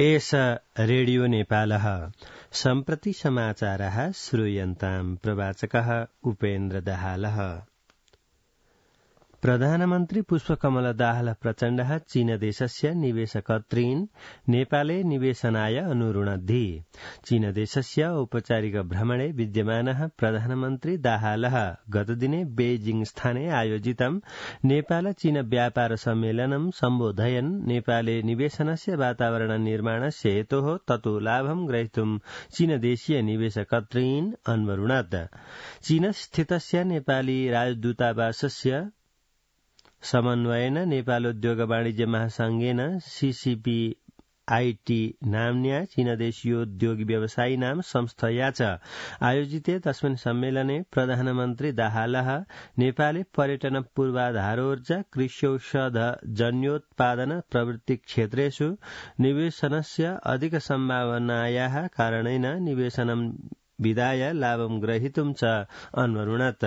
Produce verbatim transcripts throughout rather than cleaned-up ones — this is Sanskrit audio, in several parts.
एष रेडियो नेपालः सम्प्रति समाचारः श्रूयन्ताम् प्रवाचकः उपेन्द्र दाहालः। प्रधानमन्त्री पुष्पकमल दाहाल प्रचण्डः चीनदेशस्य निवेशकर्तॄन् नेपाले निवेशनाय अनुरुणद्धि। चीनदेशस्य औपचारिक भ्रमणे विद्यमानः प्रधानमन्त्री दाहालः गतदिने बेइजिङ स्थाने आयोजितं नेपाल चीन व्यापार सम्मेलनं सम्बोधयन् नेपाले निवेशनस्य वातावरण निर्माणस्य हेतोः ततो लाभं ग्रहीतुं चीनदेशीय निवेशकर्तॄन् अन्वरुणत्। चीनस्थितस्य नेपाली राजदूतावासस्य समन्वयेन नेपालोद्योग वाणिज्य महासंघेन सीसीपीआईटी नाम्न्या चीनदेशीयोद्योगी व्यवसायिनां संस्थया च आयोजिते तस्मिन् सम्मेलने प्रधानमन्त्री दाहालः नेपाले पर्यटन पूर्वाधारोर्जा कृष्यौषधजन्योत्पादन प्रवृत्ति क्षेत्रेषु निवेशनस्य अधिक सम्भावनायाः कारणेन निवेशनं विधाय लाभं ग्रहीतुं च अन्वरुणत्।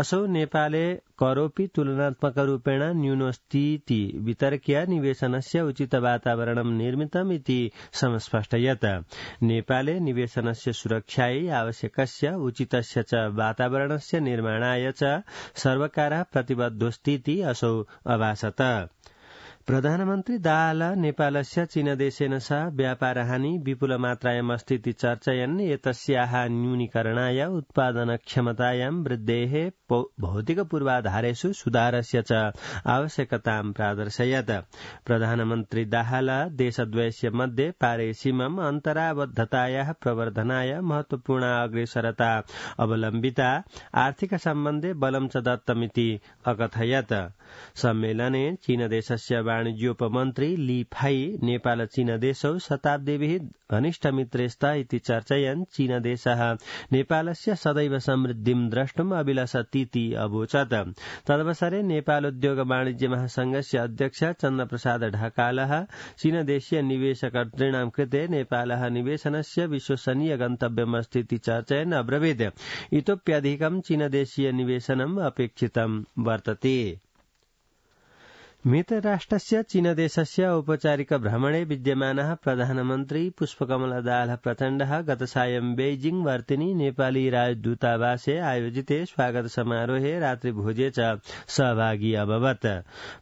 असौ नेपाले करोपि तुलनात्मकरूपेण न्यूनोऽस्तीति वितर्क्य निवेशनस्य उचित वातावरणं निर्मितमिति समस्पष्टयत्। नेपाले निवेशनस्य सुरक्षायै आवश्यकस्य उचितस्य च वातावरणस्य निर्माणाय च सर्वकारः प्रतिबद्धोऽस्तीति असौ अभाषत। प्रधानमन्त्री दाहाल नेपालस्य चीनदेशेन सह व्यापारहानि विपुलमात्रायाम् अस्तीति चर्चयन् एतस्याः न्यूनीकरणाय उत्पादनक्षमतायां वृद्धेः भौतिकपूर्वाधारेषु सुधारस्य च आवश्यकतां प्रादर्शयत्। प्रधानमन्त्री दाहाल देशद्वयस्य मध्ये पारेसीमम् अन्तराबद्धतायाः प्रवर्धनाय महत्वपूर्ण अग्रेसरता अवलम्बिता आर्थिक सम्बन्धे बलं च दत्तमिति अकथयत्। सम्मेलने चीनदेशस्य वाणिज्योपमन्त्री ली फाई नेपाल चीनदेशौ शताब्दीभिः घनिष्ठमित्रे स्तः इति चर्चयन् चीनदेशः नेपालस्य सदैव समृद्धिं द्रष्टुम् अभिलषतीति अवोचत्। तदवसरे नेपालोद्योग वाणिज्य महासंघस्य अध्यक्ष चन्द्रप्रसाद ढकालः चीनदेशीय निवेशकर्तॄणां कृते नेपालः निवेशनस्य विश्वसनीय गन्तव्यमस्तीति चर्चयन् अब्रवीत् इतोप्यधिकं चीनदेशीय निवेशनम् अपेक्षितं वर्तते। मित्रराष्ट्रस्य चीनदेशस्य औपचारिक भ्रमणे विद्यमानः प्रधानमन्त्री पुष्पकमल दाहाल प्रचण्डः गतसायं बेइजिङ वर्तिनि नेपाली राजदूतावासे आयोजिते स्वागत समारोहे रात्रिभोजे च सहभागी अभवत्।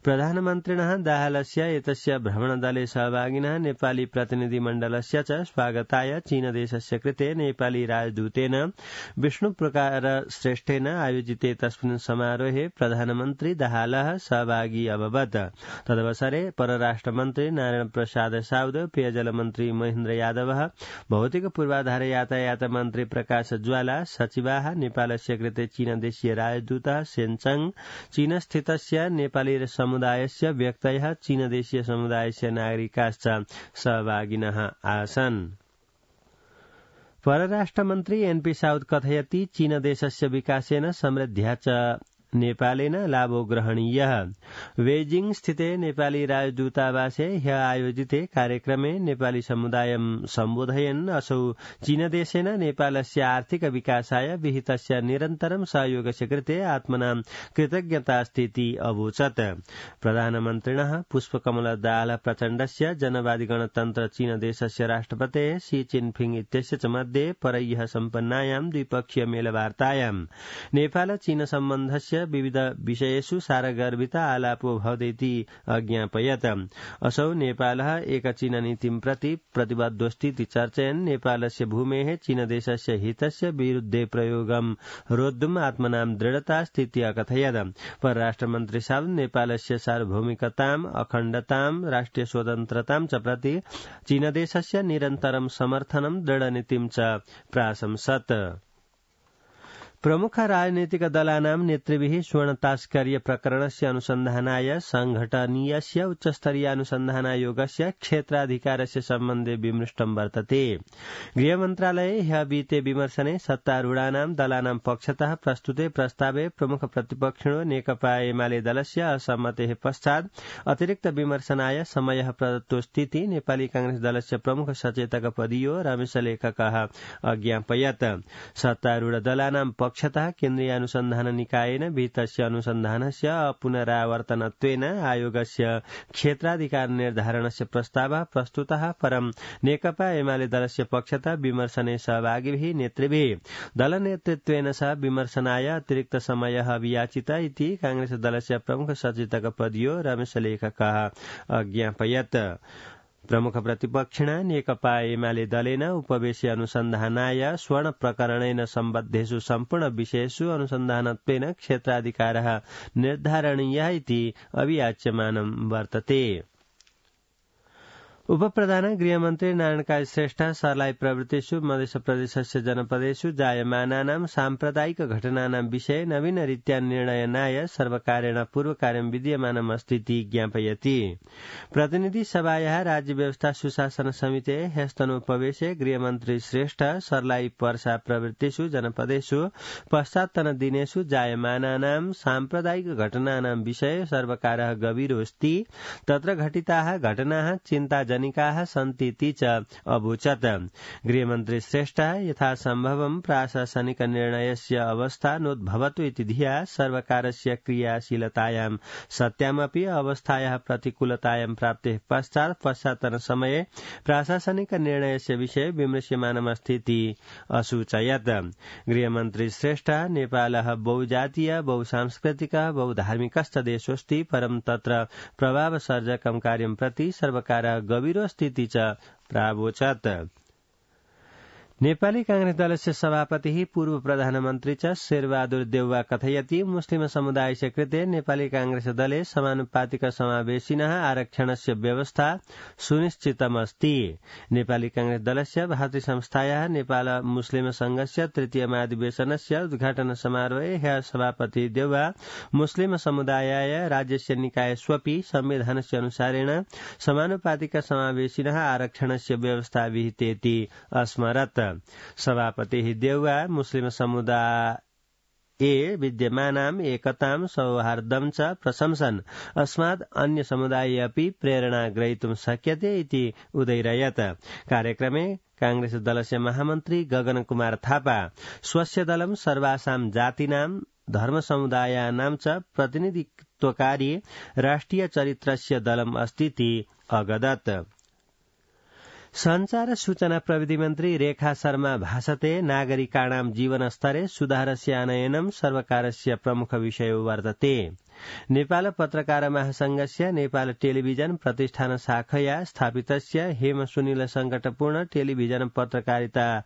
प्रधानमन्त्रिणः दाहालस्य एतस्य भ्रमणदले सहभागिनः नेपाली प्रतिनिधिमण्डलस्य च स्वागताय चीनदेशस्य कृते नेपाली राजदूतेन विष्णुप्रकार श्रेष्ठेन आयोजिते तस्मिन् समारोहे प्रधानमन्त्री दाहालः सहभागी अभवत्। तदवसरे परराष्ट्रमन्त्री नारायण प्रसाद साउद, पेयजल मन्त्री महेन्द्र यादव, भौतिक पूर्वाधार यातायात मन्त्री प्रकाश ज्वाला, सचिवाः नेपालस्य कृते चीनदेशीय राजदूतः सेन्चङ, चीनस्थितस्य नेपाली समुदायस्य व्यक्तयः, चीनदेशीय समुदायस्य नागरिकाश्च सहभागिनः आसन्। परराष्ट्रमन्त्री एनपी साउद कथयति चीनदेशस्य विकासेन समृद्ध्या च नेपालेन लाभो ग्रहणीयः। बेइजिङ स्थिते नेपाली राजदूतावासे ह्यः आयोजिते कार्यक्रमे नेपाली समुदायं सम्बोधयन् असौ चीनदेशेन नेपालस्य आर्थिक विकासाय विहितस्य निरन्तरं सहयोगस्य कृते आत्मनां कृतज्ञतास्तीति अवोचत्। प्रधानमन्त्रिणः पुष्पकमल दाहाल प्रचण्डस्य जनवादी गणतन्त्र चीनदेशस्य राष्ट्रपतेः शी चिनफिङ इत्यस्य च मध्ये परह्यः सम्पन्नायां द्विपक्षीय मेलवार्तायां नेपाल चीन सम्बन्धस्य विविध विषयेषु सारगर्भित आलापो भवतीति अज्ञापयत्। असौ नेपालः एकचीननीतिं प्रति प्रतिबद्धोऽस्तीति चर्चयन् नेपालस्य भूमेः चीनदेशस्य हितस्य विरुद्धे प्रयोगं रोद्धुम् आत्मनां दृढतास्तीति अकथयत्। परराष्ट्रमन्त्री साउद नेपालस्य सार्वभौमिकताम्, अखण्डताम्, राष्ट्रिय स्वतन्त्रतां च प्रति चीनदेशस्य निरन्तरं समर्थनं दृढनीतिं च प्राशंसत्। प्रमुख राजनीतिक दलानां नेतृभिः स्वर्णतास्कर्य प्रकरणस्य अनुसन्धानाय संघटनीयस्य उच्चस्तरीय अनुसन्धानायोगस्य क्षेत्राधिकारस्य सम्बन्धे विमृष्टं वर्तते। गृहमन्त्रालये ह्यः विहिते विमर्शने सत्तारूढानां दलानां पक्षतः प्रस्तुते प्रस्तावे प्रमुख प्रतिपक्षिणो नेकपा एमाले दलस्य असम्मतेः पश्चात् अतिरिक्त विमर्शनाय समयः प्रदत्तोऽस्तीति नेपाली कांग्रेस दलस्य प्रमुख सचेतक पदीयो रमेश लेखकः अज्ञापयत्। सत्तारूढ दलानां पक्षतः केन्द्रीय अनुसन्धान निकायेन विहितस्य अनुसन्धानस्य पुनरावर्तनत्वेन आयोगस्य क्षेत्राधिकार निर्धारणस्य प्रस्तावः प्रस्तुतः परं नेकपा एमाले दलस्य पक्षतः विमर्शने सहभागिभिः नेतृभिः दलनेतृत्वेन सह विमर्शनाय अतिरिक्त समयः अभियाचितः इति कांग्रेस दलस्य प्रमुख सचेतक पदीयो रमेशलेखकः अज्ञापयत्। प्रमुख प्रतिपक्षिणा नेकपा एमाले दलेन उपवेशि अनुसन्धानाय स्वर्ण प्रकरणेन सम्बद्धेषु सम्पूर्ण विषयेषु अनुसन्धानत्वेन क्षेत्राधिकारः निर्धारणीयः इति अभियाच्यमानं वर्तते। उपप्रधान गृहमन्त्री नारायण काजी श्रेष्ठ सर्लाही प्रवृत्तिषु मध्य प्रदेशस्य जनपदेषु जायमानानां साम्प्रदायिक घटनानां विषये नवीनरीत्या निर्णयनाय सर्वकारेण पूर्वकार्यं विद्यमानम् अस्ति इति ज्ञापयति। प्रतिनिधि सभायाः राज्य व्यवस्था सुशासन समितेः ह्यस्तनोपवेशे गृहमन्त्री श्रेष्ठ सर्लाही पर्सा प्रवृत्तिषु जनपदेषु पश्चात्तन दिनेषु जायमानानां साम्प्रदायिक घटनानां विषये सर्वकारः गभीरोऽस्ति, तत्र घटिताः घटनाः चिन्ता जनिकाः सन्ति इति च अवोचत्। गृहमन्त्री श्रेष्ठः यथासम्भवं प्राशासनिक निर्णयस्य अवस्था नोद्भवतु इति धिया सर्वकारस्य क्रियाशीलतायां सत्यामपि अवस्थायाः प्रतिकूलतायां प्राप्तेः पश्चात् पश्चात्तन समये प्राशासनिक निर्णयस्य विषये विमृश्यमानमस्ति इति असूचयत्। गृहमन्त्री श्रेष्ठः नेपालः बहुजातीय बहुसांस्कृतिकः बहुधार्मिकश्च देशोऽस्ति, परं तत्र प्रभावसर्जकं कार्यं प्रति सर्वकारः गभीरोऽस्ति च प्रावोचत्। नेपाली कांग्रेस दलस्य सभापतिः पूर्व प्रधानमन्त्री च शेरबहादुर देउवा कथयति मुस्लिम समुदायस्य कृते नेपाली कांग्रेस दले समानुपातिक समावेशिनः आरक्षणस्य व्यवस्था सुनिश्चितमस्ति। नेपाली कांग्रेस दलस्य भातृ संस्थायाः नेपाल मुस्लिम संघस्य तृतीय महाधिवेशनस्य उद्घाटन समारोहे ह्यः सभापति देउवा मुस्लिम समुदायाय राज्यस्य निकायस्वपि संविधानस्य अनुसारेण समानुपातिक समावेशिनः आरक्षणस्य व्यवस्था विहितेति अस्मरत्। सभापतिः देउवा मुस्लिम समुदाये विद्यमानाम् एकतां सौहार्दं च प्रशंसन् अस्मात् अन्य समुदाये अपि प्रेरणा ग्रहीतुं शक्यते इति उदैरयत्। कार्यक्रमे कांग्रेस दलस्य महामन्त्री गगन कुमार थापा स्वस्य दलं सर्वासां जातीनां धर्म समुदायानां च प्रतिनिधित्वकारी राष्ट्रिय चरित्रस्य दलम् अस्ति इति अगदत्। संचार सूचना प्रविधि मन्त्री रेखा शर्मा भाषते नागरिकाणां जीवनस्तरे सुधारस्य आनयनं सर्वकारस्य प्रमुख विषयो वर्तते। नेपाल पत्रकार महासंघस्य नेपाल टेलिभिजन प्रतिष्ठान शाखया स्थापितस्य हेम सुनिल संकटपूर्ण टेलिभिजन पत्रकारिता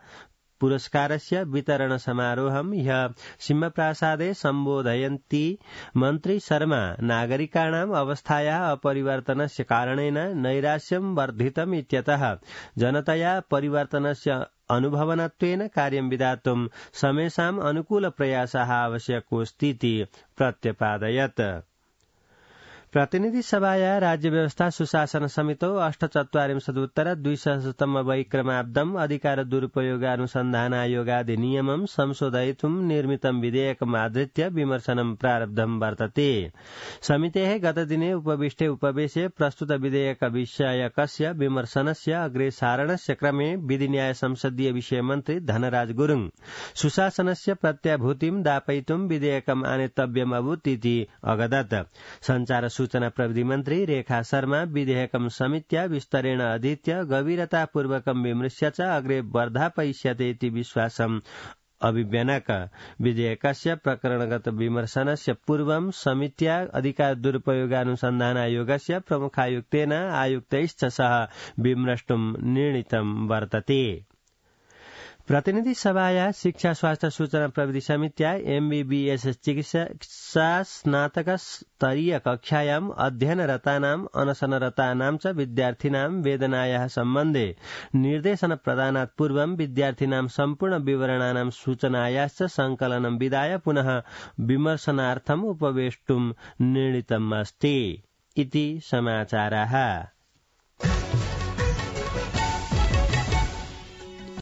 पुरस्कारस्य वितरण समारोहं ह्यः सिंहप्रासादे सम्बोधयन्ती मन्त्री शर्मा नागरिकाणाम् अवस्थायाः अपरिवर्तनस्य कारणेन नैराश्यं वर्धितम् इत्यतः जनतया परिवर्तनस्य अनुभवनत्वेन कार्यं विधातुं समेषाम् अनुकूलप्रयासः आवश्यकोऽस्ति इति प्रत्यपादयत्। प्रतिनिधि सभाया राज्य व्यवस्था सुशासन समितौ अष्टचत्वारिंशदुत्तर द्विसहस्रतम वैक्रमाब्दम् अधिकार दुरुपयोगानुसन्धानायोगाधिनियमं संशोधयितुं निर्मितं विधेयकम् आधृत्य विमर्शनं प्रारब्धं वर्तते। समितेः गतदिने उपविष्टे उपवेशे प्रस्तुत विधेयक विषयकस्य विमर्शनस्य अग्रेसारणस्य क्रमे विधिन्याय संसदीय विषय मन्त्री धनराज गुरुङ सुशासनस्य प्रत्याभूतिं दापयितुं विधेयकम् आनेतव्यम् अभूत् इति अगदत्। संचार सूचना प्रविधि मन्त्री रेखा शर्मा विधेयकं समित्या विस्तरेण अधीत्य गभीरतापूर्वकं विमृश्य च अग्रे वर्धापयिष्यते इति विश्वासम् अभिव्यनक। विधेयकस्य प्रकरणगत विमर्शनस्य पूर्वं समित्या अधिकार दुरुपयोगानुसन्धानायोगस्य प्रमुखायुक्तेन आयुक्तैश्च सह विमृष्टुं निर्णीतं वर्तते। प्रतिनिधि सभाया शिक्षा स्वास्थ्य सूचना प्रविधि समित्या एमबीबीएस चिकित्सा स्नातक स्तरीय कक्षायाम् अध्ययनरतानाम् अनशनरतानां च विद्यार्थिनां वेदनायाः सम्बन्धे निर्देशन प्रदानात् पूर्वं विद्यार्थिनां सम्पूर्ण विवरणानां सूचनायाश्च संकलनं विधाय पुनः विमर्शनार्थम् उपवेष्टुं निर्णीतम् अस्ति इति समाचाराः।